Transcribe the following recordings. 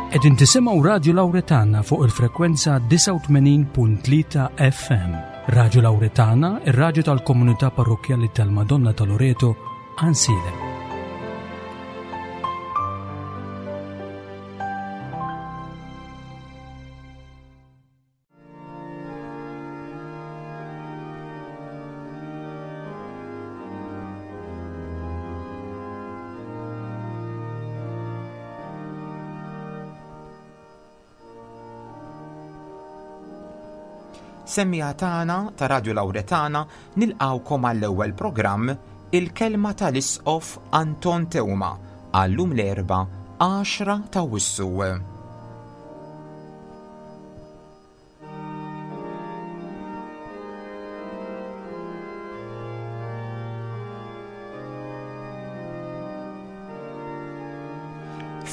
Qegħdin tisimgħu Radju Lawretana fuq il-frekwenza 89.3 FM. Radju Lawretana, ir-radju tal-komunità parrokkjali tal-Madonna ta' Loreto, Ansiedem. Semmiegħa tagħna ta' Radju Lawretana nilqgħukom għall-ewwel programm Il-Kelma tal-Isqof Anton Teuma għal-lum l-Erbgħa 10 ta' Awwissu.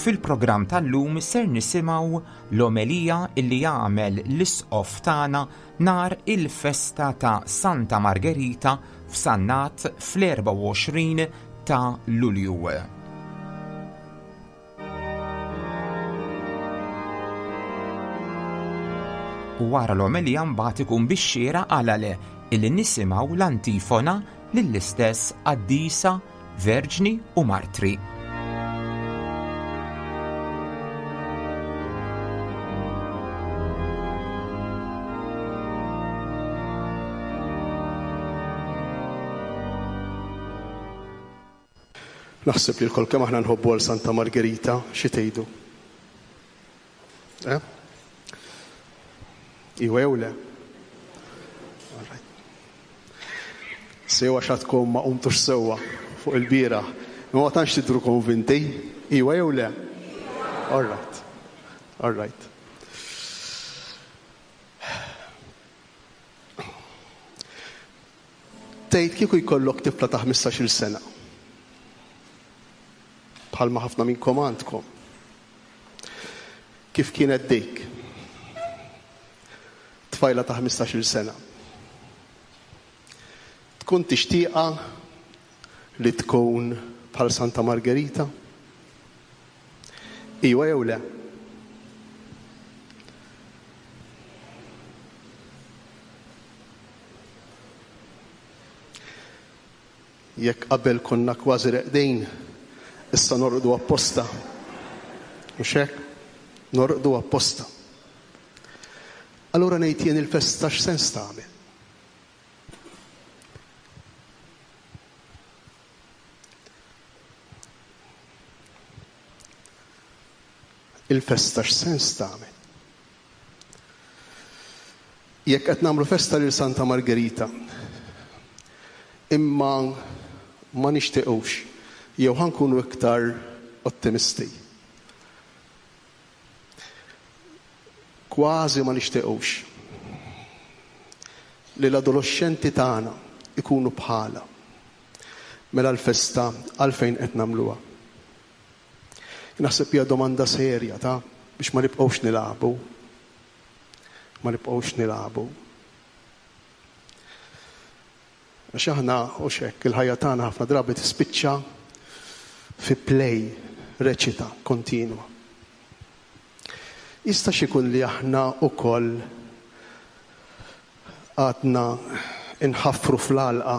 Fil-programm tal-lum ser nisimgħu l-omelija illi jagħmel l-Isqof tagħna nhar il-festa ta' Santa Margherita f'Sannat fl-24 ta' Lulju. U wara l-omelija mbagħad ikun bix-xieraq għala le illi nisimgħu l-antifona lill-istess qaddisa, verġni u martri. Naħseb li lkoll kemm aħna nħobbu għal Santa Margherita, xi tgħidu? Eh? Iwa jew le? Sew għax għadkom ma qumtux sewwa fuq il-bieraħ. Imma ma tantx tidhru konvinti. Iwa jew le? All right. All right. Tgħid kieku jkollok tifla ta' ħmistax-il sena, bħalma ħafna minnkom għandkom, kif kienet dik? Tfajla ta' ħmistax-il sena. Tkun tixtieqha li tkun bħal Santa Margherita? Iwa jew le? Jekk qabel konna kważi reqdin, issa norqdu apposta. Mhux hekk? Norqdu apposta. Allura ngħid jien il-festa x'sens tagħmel? Il-festa x'sens tagħmel? Jekk qed nagħmlu festa lil Santa Margherita, imma ma nixtiequx, jew ħa nkunu iktar ottimisti. Kważi ma nixtiequx li l-adoloxxenti tagħna jkunu bħalha. Mela l-festa għalfejn qed nagħmluha? Naħseb hija domanda serja ta' biex ma nibqgħux nilagħbu. Ma nibqgħux nilagħbu. Għax aħna u xekk il-ħajja tagħna ħafna drabi tispiċċa fi play, reċita kontinwa. Jista' x'ikun li aħna wkoll għadna nħaffru fl-għalqa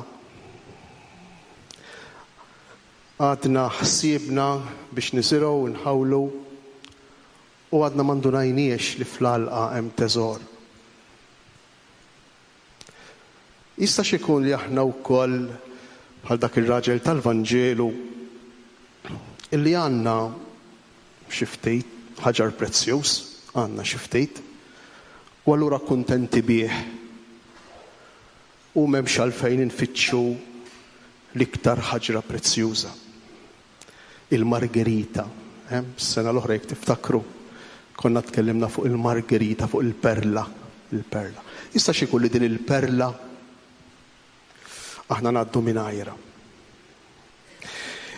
Għadna ħsiebna biex niżirgħu u nħawlu u għadna ma ndunajniex li fl-għalqa hemm teżor. Jistax ikun li aħna wkoll bħal dak ir-raġel tal-Vanġelu illi għandna xi ftit ħaġar prezzjuż, għandna xi ftit, u allura kuntenti bih U m'hemmx għalfejn infittxu l-iktar ħaġra prezzjuża. Il-margherita. Eh? Is-sena l-oħra jekk tiftakru, konna tkellimna fuq il-margherita, fuq il-perla. Il-perla. Jistax ikun li din il-perla aħna ngħaddu mingħajrha.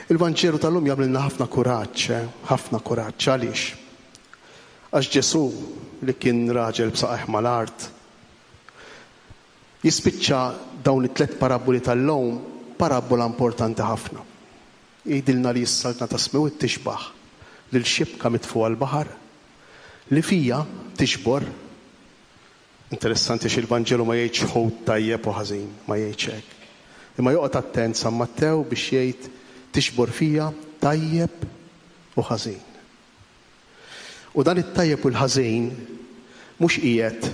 Il-Vanġelu tal-lum jagħmlilna ħafna kuraġġ, eh? ħafna kuraġġ. Għaliex? Għax Ġesù li kien raġel b'saqajh mal-art, Jispiċċa dawn it-tlett parabboli tal-lum b'parabbola importanti ħafna. Jgħidilna li s-Saltna tas-Smewwiet tixbah lil xibka mitfugħa l-baħar. Li fija tiġbor, interessanti għax il-Vanġelu ma jgħidx ħut tajjeb u ħażin, ma jgħidx hekk. Imma joqgħod attent San Mattew biex jgħid tiġbor fija tajjeb u ħażin. U dan it-tajjeb u l-ħażin mhux qiegħed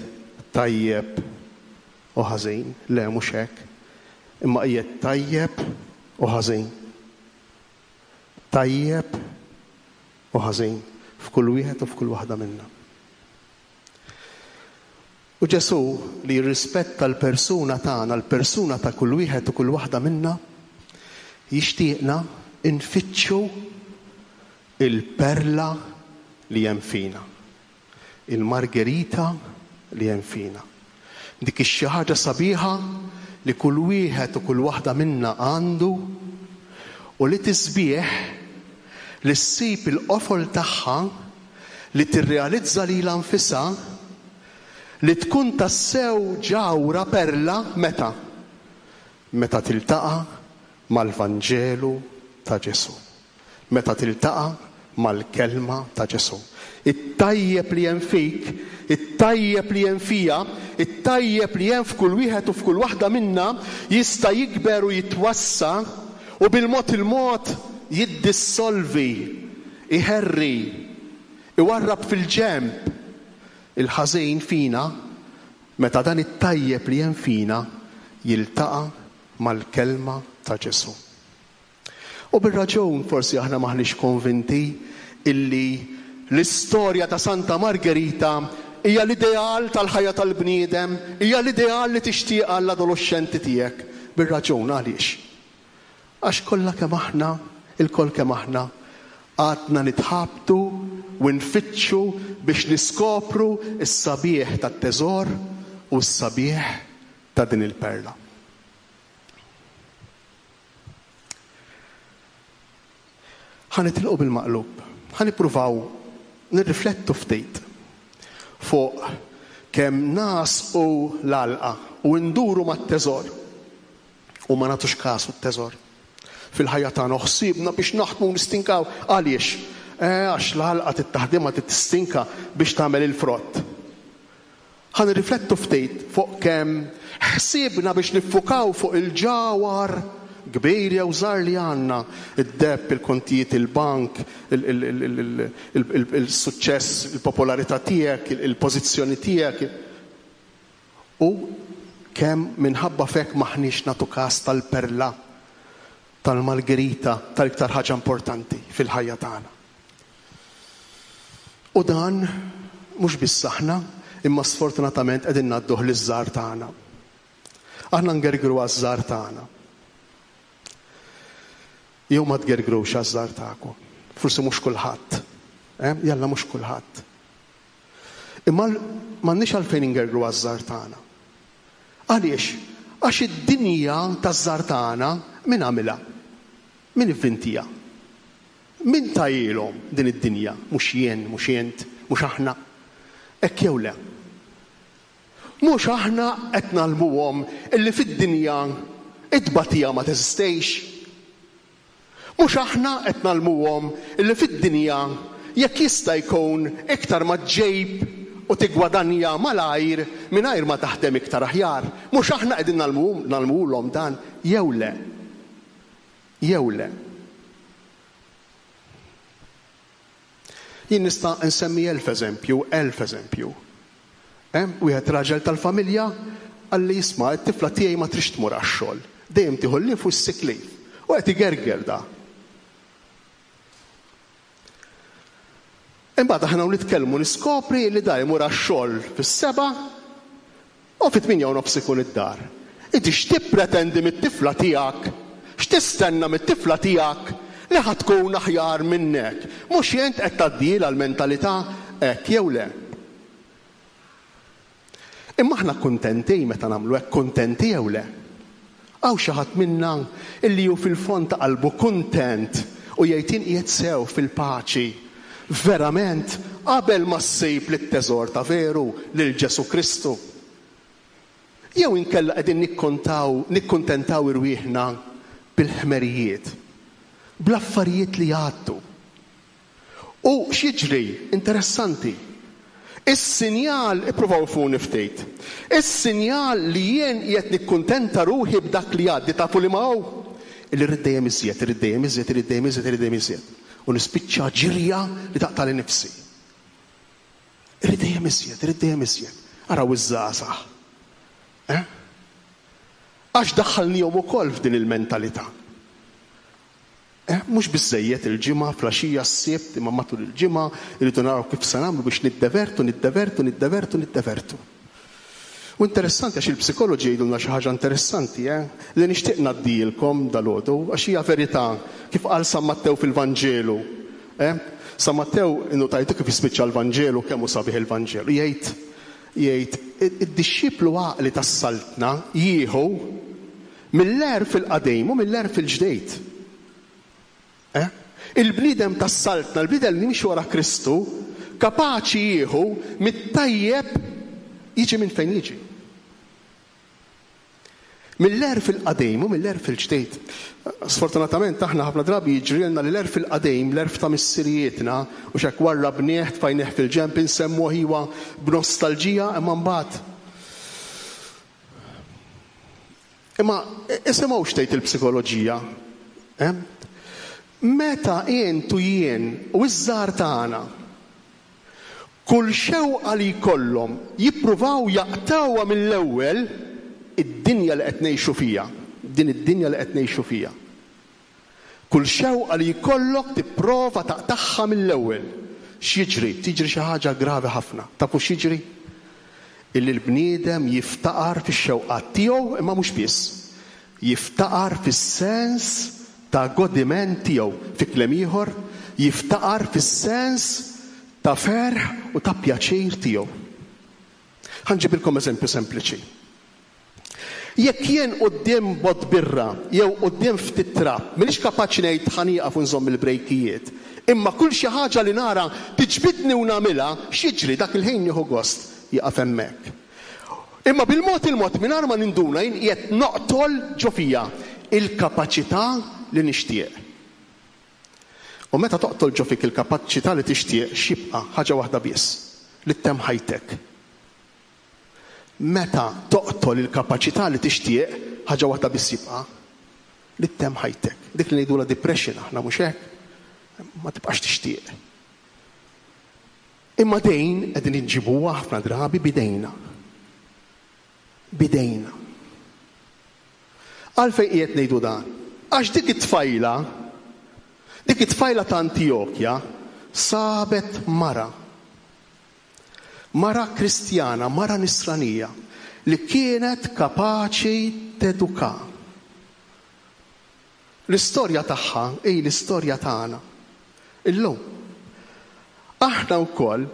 tajjeb u ħażin, le mhux hekk, imma qiegħed tajjeb u ħażin. Tajjeb u ħażin f'kull wieħed u f'kull waħda minna. U Ġesù li jirrispetta l-persuna tagħna, l-persuna ta' kull wieħed u kull waħda minna, jixtieqna nfittxu il-perla li hemm fina. Il-margherita li hemm fina. Dik ix-xi ħaġa sabiħa li kull wieħed u kull waħda minna għandu u li tisbieħ li ssib il-qofol tagħha, li tirrealizza lilha nfisha, li tkun tassew ġawhra perla meta? Meta tiltaqa' mal-Vanġelu ta' Ġesù. Meta tiltaqa' mal-Kelma ta' Ġesù. It-tajjeb li hemm fik, it-tajjeb li hemm fija, it-tajjeb li hemm f'kull wieħed u f'kull waħda minna jista' jikber u jitwassa' u bil-mod il-mod jiddissolvi, iherri, iwarrab fil-ġenb il-ħażin fina meta dan it-tajjeb li hemm fina jiltaqa' mal-Kelma ta' Ġesù. U bir-raġun forsi aħna m'aħniex konvinti illi l-istorja ta' Santa Margherita hija l-ideal tal-ħajja tal-bniedem, hija l-ideal li tixtieq għall-adoloxxenti tiegħek. Bir-raġun għaliex? Għax kollha kemm aħna, ilkoll kemm aħna, għadna nitħabtu u nfittxu biex niskopru s-sabiħ tat-teżor u s-sabiħ ta' din il-perla. Ħa nitilqu bil-maqlub. Ħa nippruvaw nirriflettu ftit fuq kemm nagħsqu l-għalqa u nduru mat-teżor u ma nagħtux kasu t-teżor. Fil-ħajja tagħna u ħsiebna biex naħdmu u nistinkaw. Għaliex? Eh, għax l-għalqa trid taħdimha trid tistinka biex tagħmel il-frott. Ħa nirriflettu ftit fuq kemm ħsiebna biex niffukaw fuq il-ġawhar kbir jew żgħar li għandna, id-deheb, il-kontijiet il-bank, il-suċċess, il-popolarità tiegħek, il-pożizzjoni tiegħek, u kemm minħabba f'hekk m'aħniex nagħtu kas tal-perla, tal-margherita, tal-iktar ħaġa importanti fil-ħajja tagħna. U dan mhux biss aħna, imma sfortunatament qegħdin ngħadduh liż-żgħar tagħna. Aħna ngergru għaż-żgħar tagħna. Jew ma tgergrux għaż-żgħar tagħkom. Forsi mhux kulħadd. Eh? Jalla mhux kulħadd. Imma m'għandniex għalfejn ingergru għaż-żgħar tagħna. Għaliex? Għax id-dinja taż-żgħar tagħna min għamilha? Min ivvintiha? Min tahielhom din id-dinja? Mhux jien, mhux int, mhux aħna. Hekk jew le? Mhux aħna qed ngħallmuhom illi fid-dinja t-tbatija ma teżistix? Mhux aħna qed ngħallmuhom illi fid-dinja jekk jista' jkun iktar ma ġġib u tiggwadanja malajr mingħajr ma taħdem iktar aħjar? Mhux aħna qegħdin ngħallmuhulhom dan jew le? Jew le? Jien nista' nsemmi elf eżempju, elf eżempju. Hemm wieħed raġel tal-familja qalli isma' t-tifla tiegħi ma tridx tmur għax-xogħol. Dejjem tieħu l-leave u s-sick leave. U qed igerger da. Imbagħad aħna u nitkellmu niskopri li da jmur għax-xogħol fis-sebgħa u fit-tmienja u nofs ikun id-dar. Inti x'tippretendi mit-tifla tiegħek? X'tistenna mit-tifla tiegħek li ħa tkun aħjar minnek? Mhux int qed tgħaddielha l-mentalità hekk jew le? Imma aħna kuntenti meta nagħmlu hekk, kuntenti jew le? Hawn xi ħadd minna illi hu fil-fond ta' qalbu kuntent u jgħid jien qiegħed sew fil-paċi verament qabel ma ssib lit-teżor ta' veru, lil Ġesù Kristu? Jew inkella qegħdin nikkontaw, nikkuntentaw irwieħna bil-ħmerijiet, bl-affarijiet li jgħaddu? U x'jiġri? Interessanti. Is-sinjal, ippruvaw ifhmuni ftit, is-sinjal li jien qiegħed nikkuntenta ruħi b'dak li għaddi tafu liema hu? Illi rrid dejjem iżjed, irrid dejjem iżjed, irrid dejjem iżjed, irrid dejjem iżjed. U nispiċċa ġirja li taqtagħli nifsi. Irrid dejjem iżjed, irrid dejjem iżjed. Araw iż-żgħażagħ. Eh? Għax daħħalnihom ukoll f'din il-mentalità. Eh, mhux biżżejjed il-Ġimgħa, fl-għaxija, s-Sibt, imma matul il-ġimgħa rridu naraw kif se nagħmlu biex niddevertu, niddevertu, niddevertu, niddevertu. U interessanti għax il-psikoloġi jgħidulna xi ħaġa interessanti, eh, li nixtieq ngħaddilkom dalgħodu għax hija verità kif qal San Mattew fil-Vanġelu. Eh? San Mattew innutajtu kif jispiċċa l-Vanġelu kemm hu sabiħ il-Vanġelu. Jgħid jgħid id-dixxiplu għaqli tas-saltna jieħu Mill-għerf il-qadim u mill-għerf il-ġdid. Eh? Il-bniedem tas-Saltna, il-bniedem li jimxi wara Kristu, kapaċi jieħu mit-tajjeb jiġi minn fejn jiġi. Mill-għerf il-qadim u mill-għerf il-ġdid. Sfortunatament aħna ħafna drabi jiġrilna li l-għerf il-qadim, l-għerf ta' missirijietna, u x'hekk warrabnieh, tfajnieh fil-ġenb, insemmuh iwa b'nostalġija, imma mbagħad Imma isimgħu x'tgħid il-psikoloġija. Eh? Meta int u jien u ż-żgħar tagħna kull xewqa li jkollhom jippruvaw jaqtgħuha mill-ewwel id-dinja li qed ngħixu fiha, din id-dinja li qed ngħixu fiha. Kull xewqa li jkollok tipprova taqtagħha mill-ewwel. X'jiġri? Tiġri xi ħaġa gravi ħafna. Tafu x'jiġri? Illi l-bniedem jiftaqar fix-xewqat tiegħu imma mhux biss. Jiftaqar fis-sens ta' godiment tiegħu. Fi kliem ieħor, jiftaqar fis-sens ta' ferħ u ta' pjaċir tiegħu. Ħa nġibilkom eżempju sempliċi. Jekk jien quddiem bott birra jew quddiem ftit trab m'iniex kapaċi ngħid ħa nieqaf u nżomm il-brejkijiet, imma kull xi ħaġa li nara tiġbidni u nagħmilha, x'jiġri? Dak il-ħin nieħu gost, jieqaf hemmhekk. Imma bil-mod il-mod mingħajr ma ninduna jien qiegħed noqtol ġo fija il-kapaċità li nixtieq. U meta toqtol ġo fik il-kapaċità li tixtieq, x'jibqa'? Ħaġa waħda biss, li ttemm ħajtek. Meta toqtol il-kapaċità li tixtieq, ħaġa waħda biss jibqa', li ttemm ħajtek. Dik li ngħidulha depression aħna mhux hekk? Ma tibqax tixtieq. Imma dejn qegħdin inġibuha ħafna drabi b'idejna. B'idejna. Għalfejn qiegħed ngħidu dan? Għax dik it-tfajla, dik it-tfajla ta' Antijokja sabet mara. Mara Kristjana, mara Nisranija, li kienet kapaċi teduka. L-istorja tagħha hi l-istorja tagħna. Illum. Aħna wkoll,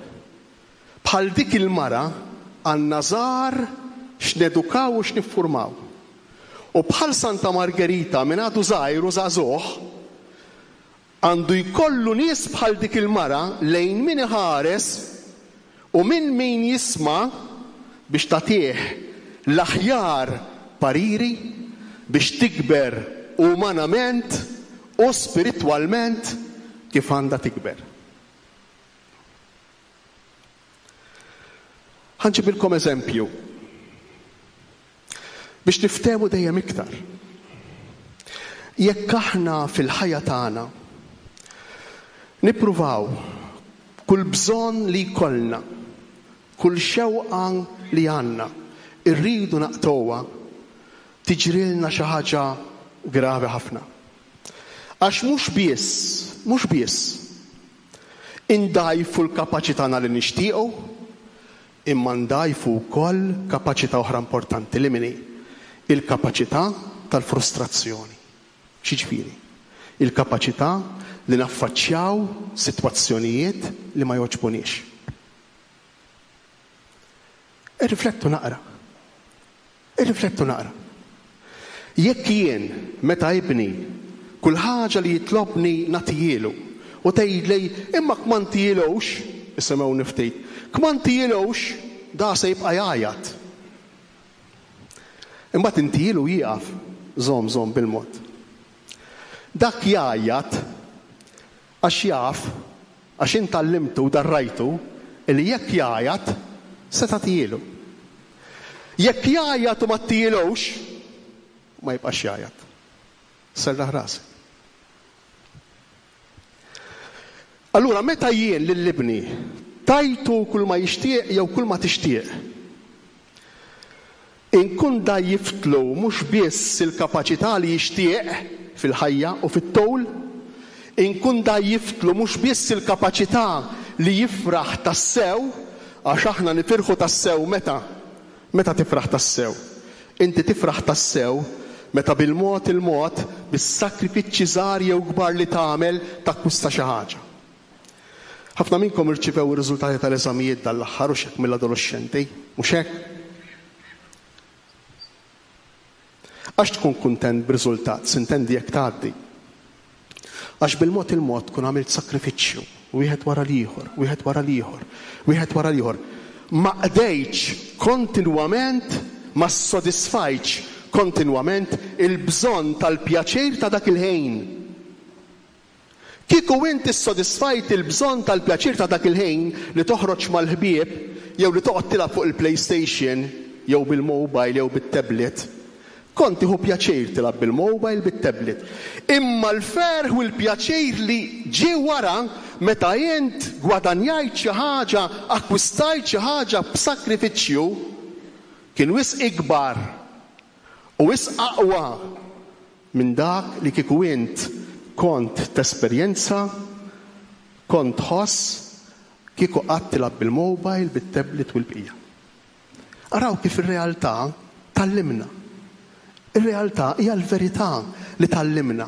bħal dik il-mara, għandna żgħar x'nedukaw u x'niffurmaw. U bħal Santa Margerita minn għadu żgħir u żagħżugħ, Għandu jkollu nies bħal dik il-mara lejn min iħares u minn min jisma' biex tagħtih l-aħjar pariri biex tikber umanament u spiritwalment kif għandha tikber. Ħa nġibilkom eżempju biex niftehmu dejjem iktar. Jekk aħna fil-ħajja tagħna nippruvaw kull bżonn li jkollna, kull xewqa li għandna, irridu naqtgħuha, tiġrilna xi ħaġa gravi ħafna. Għax mhux biss, mhux biss, Indgħajfu l-kapaċi tagħna li nixtiequ, imma ndgħajfu wkoll kapaċità oħra importanti, li min hi? Il-kapaċità tal-frustrazzjoni. X'jiġifieri? Il-kapaċità li naffaċċjaw sitwazzjonijiet li ma jogħġbuniex. Irriflettu naqra. Irriflettu naqra. Jekk jien, meta ibni, kull ħaġa li jitlobni nagħtihielu, u tgħidli, imma kmantihilux, isimgħuni ftit, kmantihilux, da se jibqa' jgħajjat. Imbagħad intihielu jieqaf, żomm, żomm bil-mod. Dak jgħajjat għax jaf, għax int għallimtu u darrajtu, Illi jekk jgħajat, se tagħtihielu. Jekk jgħajjat u ma ttihielux, ma jibqax jgħajjat. Serraħ rasek. Allura meta jien lil ibni tajtu kull ma jixtieq jew kull ma tixtieq, inkun dgħajjiftlu mhux biss il-kapaċità li jixtieq fil-ħajja u fit-tul, inkun dgħajjiftlu mhux biss il-kapaċità li jifraħ tassew, għax aħna nifirħu tassew meta? Meta tifraħ tassew? Inti tifraħ tassew meta bil-mod il-mod, bis-sagrifiċċji żgħar jew kbar li tagħmel, takkwista xi ħaġa. Ħafna minnkom irċivew ir-riżultati tal-eżamijiet dan l-aħħar, hux hekk, mill-adoloxxenti, mhux hekk? Għax tkun kuntent b'riżultat, sintendi jekk tgħaddi. Għax bil-mod il-mod tkun għamilt sagrifiċċju, wieħed wara l-ieħor, wieħed wara l-ieħor, wieħed wara l-ieħor. Ma qdejtx kontinwament, ma ssodisfajtx kontinwament il-bżonn tal-pjaċir ta' dak il-ħin. Kieku int issodisfajt il-bżonn tal-pjaċir ta' dak il-ħin li toħroġ mal-ħbieb jew li toqgħod tilgħab fuq il-PlayStation jew bil-mobile jew bit-tablet, kont tieħu pjaċir tilgħab bil-mobile, bit-tablet. Imma l-ferħ u l-pjaċir li ġie wara meta int gwadanjajt xi ħaġa, akkwistajt xi ħaġa b'sakrifiċċju, kien wisq ikbar u wisq aqwa minn dak li kieku int kont tesperjenza, kont tħoss kieku qgħadt tilgħab bil-mobile, bit-tablet u l-bqija. Araw kif ir-realtà tgħallimna. Ir-realtà hija l-verità li tgħallimna.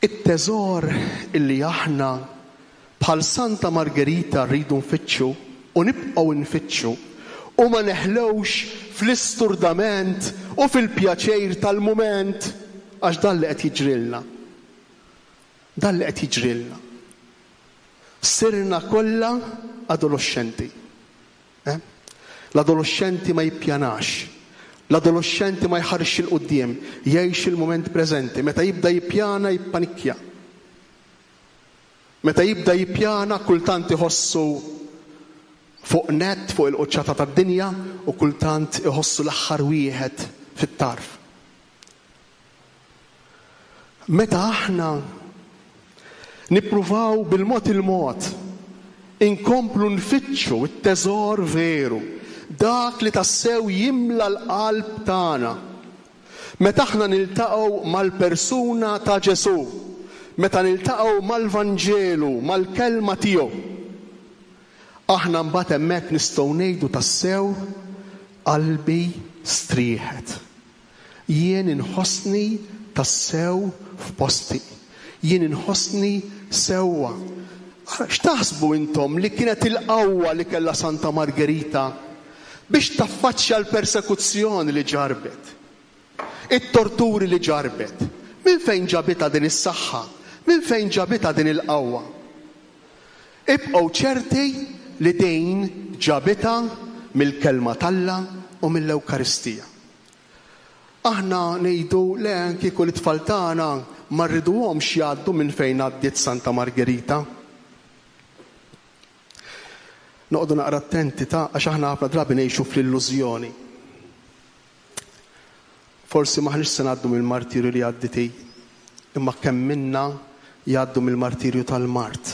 It-teżor illi aħna bħal Santa Margerita rridu nfittxu u nibqgħu nfittxu u ma neħlewx fl-isturdament u fil-pjaċir tal-mument għax dan li qed jiġrilna. Dan li qed jiġrilna. Sirna kollha adoloxxenti. Eh? L-adoloxxenti ma jippjanax. L-adoloxxenti ma jħarisx 'il quddiem, jgħix il-mument preżenti. Meta jibda jippjana jippanikkja. Meta jibda jippjana kultant iħossu fuq nett fuq il-quċċata tad-dinja u kultant iħossu l-aħħar wieħed fit-tarf. Meta aħna nippruvaw bil-mod il-mod inkomplu nfittxu t-teżor veru, dak li tassew jimla l-qalb tagħna, meta aħna niltaqgħu mal-persuna ta' Ġesù, meta niltaqgħu mal-Vanġelu, mal-kelma tiegħu, aħna mbagħad hemmhekk nistgħu ngħidu tassew, Qalbi strieħet. Jien inħossni tassew f'posti. Jien inħossni sewwa. Ara, x'taħsbu intom li kienet il-qawwa li kellha Santa Margerita biex taffaċċja l-persekuzzjoni li ġarrbet, it-torturi li ġarrbet? Minn fejn ġabitha din is-saħħa? Minn fejn ġabitha din il-qawwa? Ibqgħu ċerti li din ġabitha mill-Kelma t'Alla u mill-Ewkaristija. Aħna ngħidu le kieku lit-tfal tagħna ma rriduhomx jgħaddu minn fejn għaddiet Santa Margerita. Noqogħdu naqra attenti ta' għax aħna ħafna drabi ngħixu fl-illużjoni. Forsi m'aħniex se ngħaddu mill-martirju li għaddiet hi, imma kemm minna jgħaddu mill-martirju tal-mard.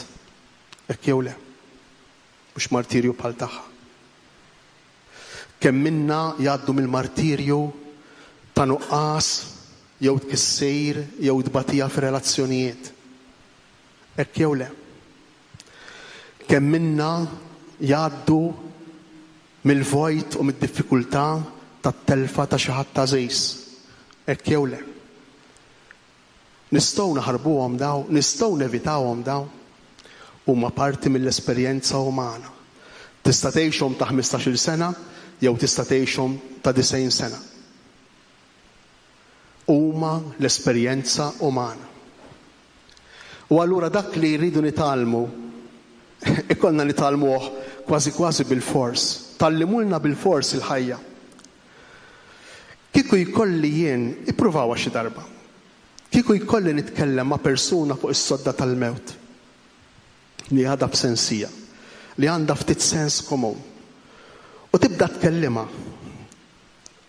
Hekk jew le? Mhux martirju bħal tagħha. Kemm minna jgħaddu mill-martirju ta' nuqqas jew tkissir jew tbatija fir-relazzjonijiet. Hekk jew le? Kemm minna jgħaddu mill-vojt u mid-diffikultà tat-telfa ta' xi ħadd għażiż. Hekk jew le? Nistgħu naħarbuhom dawn? Nistgħu nevitawhom dawn? Huma parti mill-esperjenza umana. Tista' tgħixhom ta' ħmistax-il sena jew tista' tgħixhom ta' 90 sena. Huma l-esperjenza umana. U allura dak li rridu nitgħallmu, ikollna nitgħallmuh kważi kważi bilfors. Tgħallimulna bilfors il-ħajja. Kieku jkolli jien, ippruvawha xi darba, kieku jkolli nitkellem ma' persuna fuq is-sodda tal-mewt. li għadha b'sensija, li għandha ftit sens komun, u tibda tkellimha,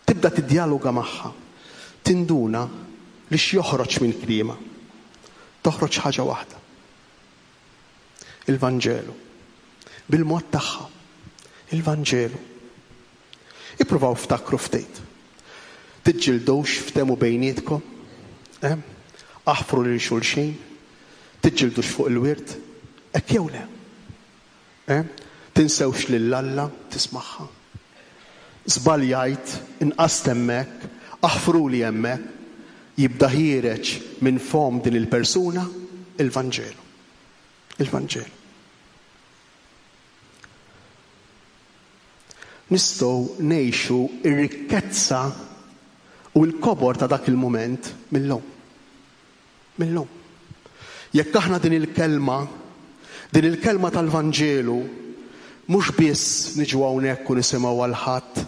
tibda tiddjaloga magħha, tinduna li x'joħroġ minn kliemha. Toħroġ ħaġa waħda. Il-Vanġelu. Bil-mod tagħha. Il-Vanġelu. Ippruvaw ftakru ftit. Tiġġildux ftehmu bejnietkom. Eh? Aħfru lil xulxin. Tiġġildux fuq il-wirt. Hekk jew le? Eh? Tinsewx lil Alla tismagħha. Żbaljajt, inqast hemmhekk, aħfruli hemmhekk. Jibda ħiereġ minn fomm din il-persuna il-Vanġelu. Il-Vanġelu. Nistgħu ngħixu r-rikkezza u l-kobor ta' dak il-mument mil-lum. Mil-lum. Jekk aħna din il-kelma, din il-kelma tal-Vanġelu, mhux biss niġu hawnhekk u nisimgħuha l-Ħadd,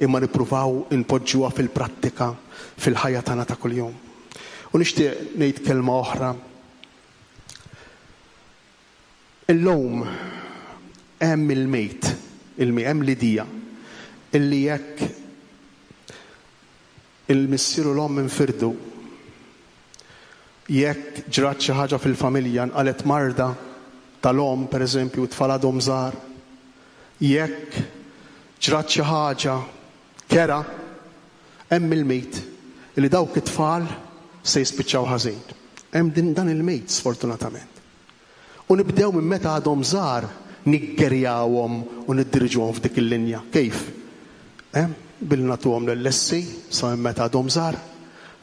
imma nippruvaw inpoġġuha fil-prattika fil-ħajja tagħna ta' kuljum. U nixtieq ngħid kelma oħra. Illum hemm il-mejt, hemm l-idea illi jekk Il-missier u l-omm infirdu. Jekk ġrat xi ħaġa fil-familja, nqalgħet marda tal-omm, pereżempju, u t-tfal għadhom żgħar. Jekk ġrat xi ħaġa kerha, hemm il-mit li dawk it-tfal se jispiċċaw ħażin. Hemm din dan il-mit sfortunatament. U nibdew minn meta għadhom żgħar niggerjawhom u niddiriġuhom f'dik il-linja. Kif? Eh? Billi nagħtuhom l-LSC sa minn meta għadhom żgħar,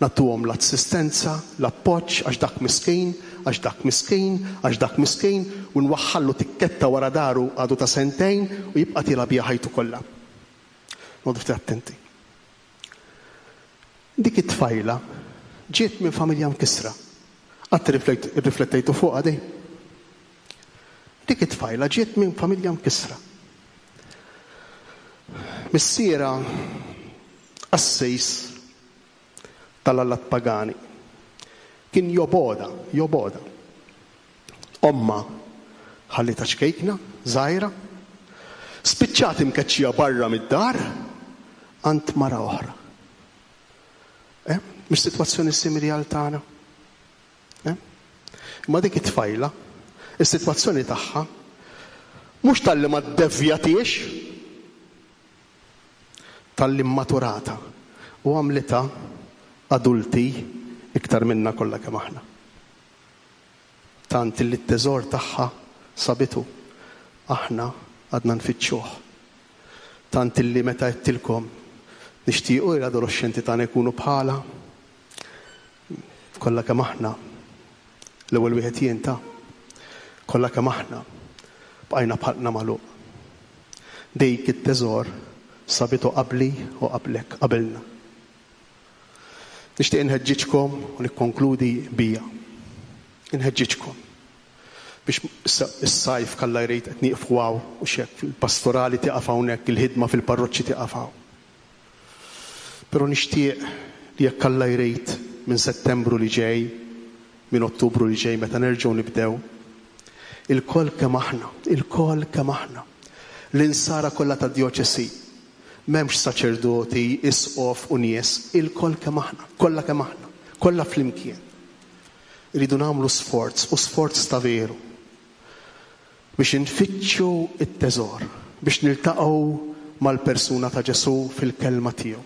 nagħtuhom l-assistenza, l-appoġġ għax dak miskin, għax dak miskin, għax dak miskin, u nwaħħallu tikketta wara daru għadu ta' sentejn u jibqa' tiela' biha ħajtu kollha. Noqogħdu ftit attenti. Dik it-tfajla ġiet minn familja mkissra. Qatt irriflettejtu fuqha din? Dik it-tfajla ġiet minn familja mkissra. Missierha qassis tal-allat pagani. Kien jobgħodha, jobgħodha. Ommha ħallietha ċkejkna, żgħira. Spiċċat imkeċċija barra mid-dar għand mara oħra. Eh? Mhux sitwazzjoni simili għal tagħna? Eh? Imma dik it-tfajla, is-sitwazzjoni tagħha mhux talli ma ddevjatiex, talli mmaturata u għamlitha adulti iktar minna kollha kemm aħna. Tant li t-teżor tagħha sabitu, aħna għadna nfittxuh. Tant li meta għedtilkom nixtiequ li l-adoloxxenti tagħna jkunu bħalha, kollha kemm aħna, l-ewwel wieħed jien ta', kollha kemm aħna bqajna b'ħalqna magħluq. Dik it-teżor sabitu qabli u qablek, qabilna. Nixtieq inħeġġiġkom u nikkonkludi bija. Inħeġġiġkom biex issa s-sajf kalla jrid qed nieqfu hawn u x'hekk, il-pastorali tieqaf hawnhekk, il-ħidma fil-parroċċi tieqaf hawn. Però nixtieq li jekk Alla jrid minn Settembru li ġej, minn Ottubru li ġej meta nerġgħu nibdew, ilkoll kemm aħna, ilkoll kemm aħna, l-insara kollha tad-djoċesi, M'hemmx saċerdoti, isqof u nies, ilkoll kemm aħna, kollha kemm aħna, kollha flimkien. Irridu nagħmlu sforz, u sforz ta' veru, biex infittxu t-teżor, biex niltaqgħu mal-persuna ta' Ġesù fil-kelma tiegħu.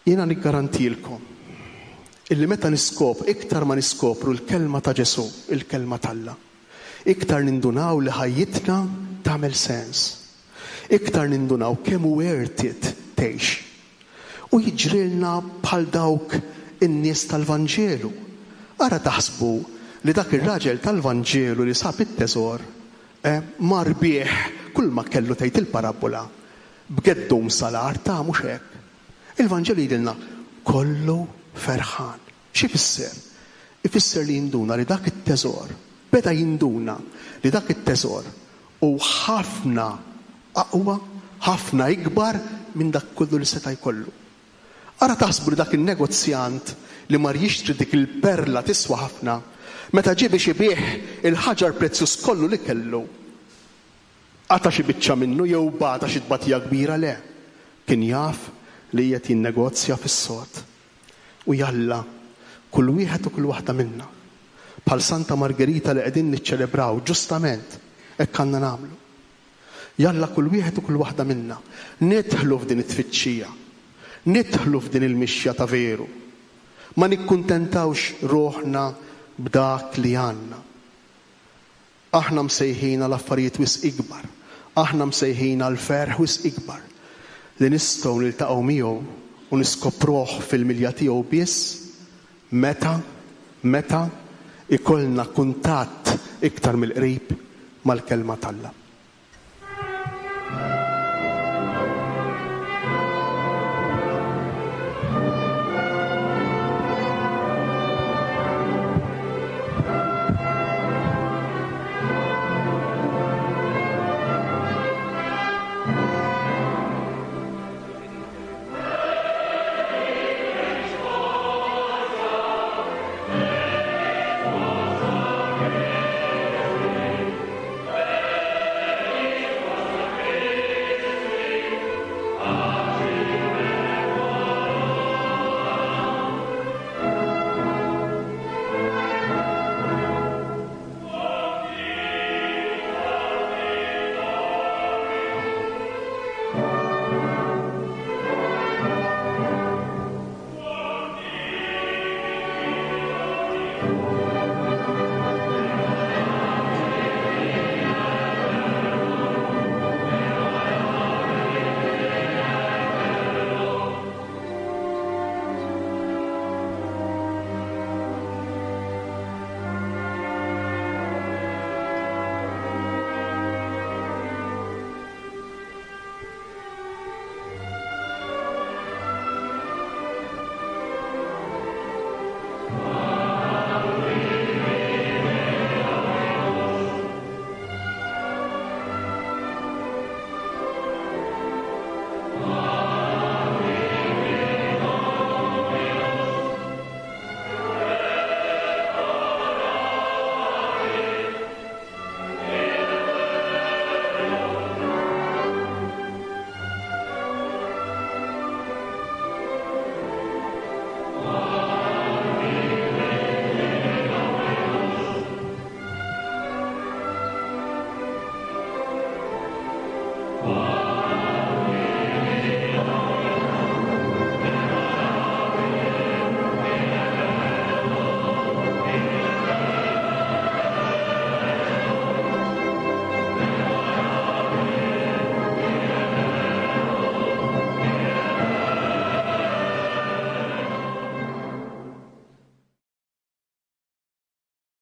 Jiena niggarantilkom illi meta niskop, iktar ma niskopru l-kelma ta' Ġesù, il-kelma t'Alla, iktar nindunaw li ħajjitna tagħmel sens. Iktar nindunaw kemm hu worth it tgħix. U jiġrilna bħal dawk in-nies tal-Vanġelu. Ara taħsbu li dak ir-raġel tal-Vanġelu li sab it-teżor, eh, mar bih kulma kellu tgħid il-parabbola, b'geddum sal-art, ta' mhux hekk. Il-Vanġelu jgħidilna kollu ferħan. X'ifisser? Ifisser li jinduna li dak it-teżor, beda jinduna li dak it-teżor hu ħafna aqwa, ħafna ikbar minn dak kollu li seta' jkollu. Ara taħsbu li dak in-negozjant li mar jixtri dik il-perla tiswa ħafna, Meta ġie biex ibigħ il-ħaġar prezzjuż kollu li kellu, qata' xi biċċa minnu jew bata xi tbatija kbira? Le. Kien jaf li qiegħed jinnegozja fis-sod. U jalla, kull wieħed u kull waħda minna, bħal Santa Margerita li qegħdin niċċelebraw ġustament, hekk għandna nagħmlu. Jalla kull wieħed u kull waħda minna nidħlu f'din it-tfittxija, nidħlu f'din il-mixja ta' veru. Ma nikkuntentawx ruħna b'dak li għandna. Aħna msejħin għal affarijiet wisq ikbar. Aħna msejħin għal ferħ wisq ikbar li nistgħu niltaqgħu miegħu u niskopruh fil-milja tiegħu biss meta, meta ikollna kuntatt iktar mill-qrib mal-Kelma t'Alla.